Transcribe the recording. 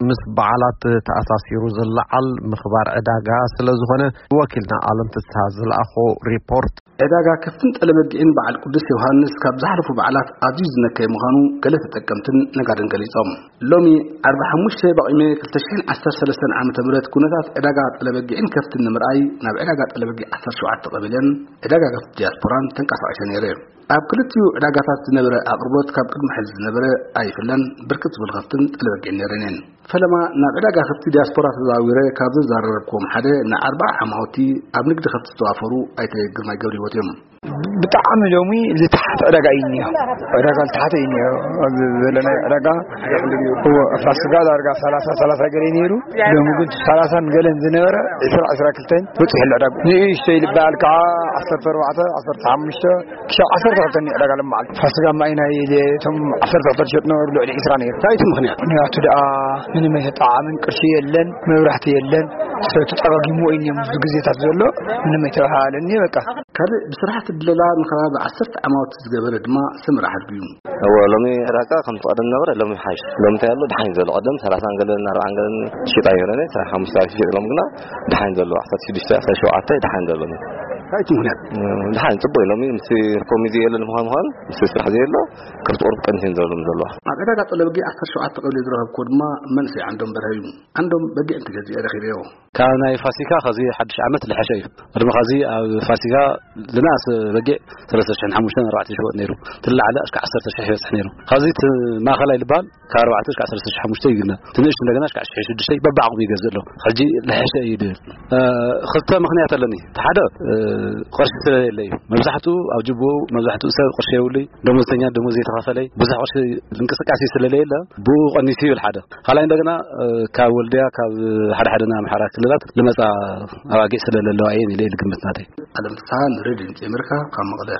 ምስ በዓላት ተኣሳሲሩ ዝለዓል ምኽባር ዕዳጋ ስለ ዝኾነ፣ ወኪልና ኣለም ፍስሃ ዝለኣኾ ሪፖርት። ዕዳጋ ከፍትን ጠለበጊዕን በዓል ቅዱስ ዮሃንስ ካብ ዝሓለፉ በዓላት ኣዝዩ ዝነከየ ምዃኑ ገለ ተጠቀምትን ነጋድን ገሊጾም። ሎሚ ዓርቢ ሓሙሽተ በቒሜ ክልተ ሽሕን ዓሰርተ ሰለስተን ዓመተ ምህረት ኩነታት ዕዳጋ ጠለበጊዕን ከፍትን ንምርኣይ ናብ ዕዳጋ ጠለበጊዕ ዓሰርተ ሸውዓተ ቀቢለን ዕዳጋ ከፍቲ ዲያስፖራን ተንቀሳቒሰ ነይረ። ኣብ ክልቲኡ ዕዳጋታት ዝነበረ ኣቕርቦት ካብ ቅድሚ ሕዚ ዝነበረ ኣይፍለን። ብርክት ዝብል ከፍትን ጠለበጊዕን ነይረን እየን። ፈለማ ናብ ዕዳጋ ከፍቲ ዲያስፖራ ተዛዊረ ካብ ዘዛረረብክዎም ሓደ ንኣርባዓ ዓማውቲ ኣብ ንግዲ ከፍቲ ዝተዋፈሩ ኣይተ ግርማይ ገብረህይወት እዮም። ብጣዕሚ ሎሚ ዝተሓተ ዕዳጋ እዩ እኒኦ። ዕዳጋ ዝተሓተ እዩ እኒኦ። ኣብዚ ዘለናዮ ዕዳጋ፣ እዎ፣ ፋስጋ ዳርጋ ሰላሳ፣ ሰላሳ ገለ ነይሩ። ሎሚ ግን ሰላሳን ገለን ዝነበረ ዕስራ፣ ዕስራ ክልተን በፂሑ ኣሎ ዕዳጋ። ንእሽተይ ዝበሃል ከዓ ዓሰርተ ኣርባዕተ፣ ዓሰርተ ሓሙሽተ ክሻብ ዓሰርተ ክልተ እኒኦ ዕዳጋ ሎሚ በዓል። ፋስጋ ማይ ናይ እቶም ዓሰርተ ክልተ ዝሸጡ ነበሩ ልዕሊ ዕስራ ነይሩ። እንታይ እቲ ምኽንያት? ምኽንያቱ ደኣ ምንም ኣይተጠዓዓምን፣ ቅርሺ የለን፣ መብራህቲ የለን። ሰብ ተጠጋጊሙ እዩ እኒኦም ብዙ ግዜታት ዘሎ፣ ምንም ኣይተባሃለኒ በቃ። ካልእ ብስራሕቲ ድለላ ንከባቢ ዓሰርተ ዓማውቲ ዝገበረ ድማ ሰመራ ሓድጉ እዩ። እወ፣ ሎሚ ዕዳጋ ከምቲ ቀደም ነበረ፣ ሎሚ ሓይሽ። ሎሚ እንታይ ኣሎ? ደሓን ዘሎ። ቀደም ሰላሳን ገለን ኣርባዓን ገለን ትሽጣ ይረነ፣ ሓሙሽተ ሽጥ ሎም ግና ደሓን ዘሎ፣ ዓሰርተ ሽዱሽተ፣ ዓሰርተ ሸውዓተ ደሓን ዘሎ። እንታይ እቲ ምኽንያት? እ፣ ደሓን ጽቡቅ እዩ። ሎሚ ምስ ኮሚዚ የለን ምዃን ምዃን፣ ምስ ስራሕ ዘየሎ፣ ከብቲ ቁሩብ ቀንሽን ዘለዎም ዘለዋ። ኣብ ዕዳጋ ጠለበጊ ዓሰርተ ሸውዓተ ቀቢለ ዝረኸብኩዎ ድማ መንእሰይ ዓንዶም በርሀ እዩ። ዓንዶም በጊዕ እንትገዝእ ረኺበዮ። ካብ ናይ ፋሲካ ኸዚ ሓድሽ ዓመት ልሐሸ እዩ። ቅድሚ ኸዚ ኣብ ፋሲካ ዝነኣሰ በጊዕ ሰለስተ ሽሕን ሓሙሽተን ኣርባዕተ ሽወጥ ነይሩ። ትላዓለ እስከ ዓሰርተ ሽሕ ይበጽሕ ነይሩ። ኸዚ እቲ ማእኸላይ ልበሃል ካብ ኣርባዕተ እስከ ዓሰርተ ሽሕ ሓሙሽተ ይግነ። ትንእሽቱ እንደገና እስከ ሽሕ ሽዱሽተ በብዓቕሙ ይገዝእ ኣሎ። ሕጂ ልሐሸ እዩ ድብል። እ፣ ክልተ ምኽንያት ኣለኒ። እቲ ሓደ፣ እ፣ ቅርሺ ስለዘየለ እዩ። መብዛሕትኡ ኣብ ጅቡኡ መብዛሕትኡ ሰብ ቅርሺ የብሉይ። ደሞዝተኛ ደሞዝ ዘይተኸፈለይ። ብዙሕ ቅርሺ እንቅስቃሴ ስለዘየለ ብኡ ቀኒሱ ይብል ሓደ። ካልኣይ እንደገና፣ እ፣ ካብ ወልድያ፣ ካብ ሓደ ሓደ ናይ ኣምሓራ ክልላት ልመጻ ኣባጊዕ ስለ ዘለዋ እየን ኢለ ልግምት ናተይ። ኣለም ፍስሃ ንሬድዮ ድምጺ ኣሜሪካ ካብ መቐለ።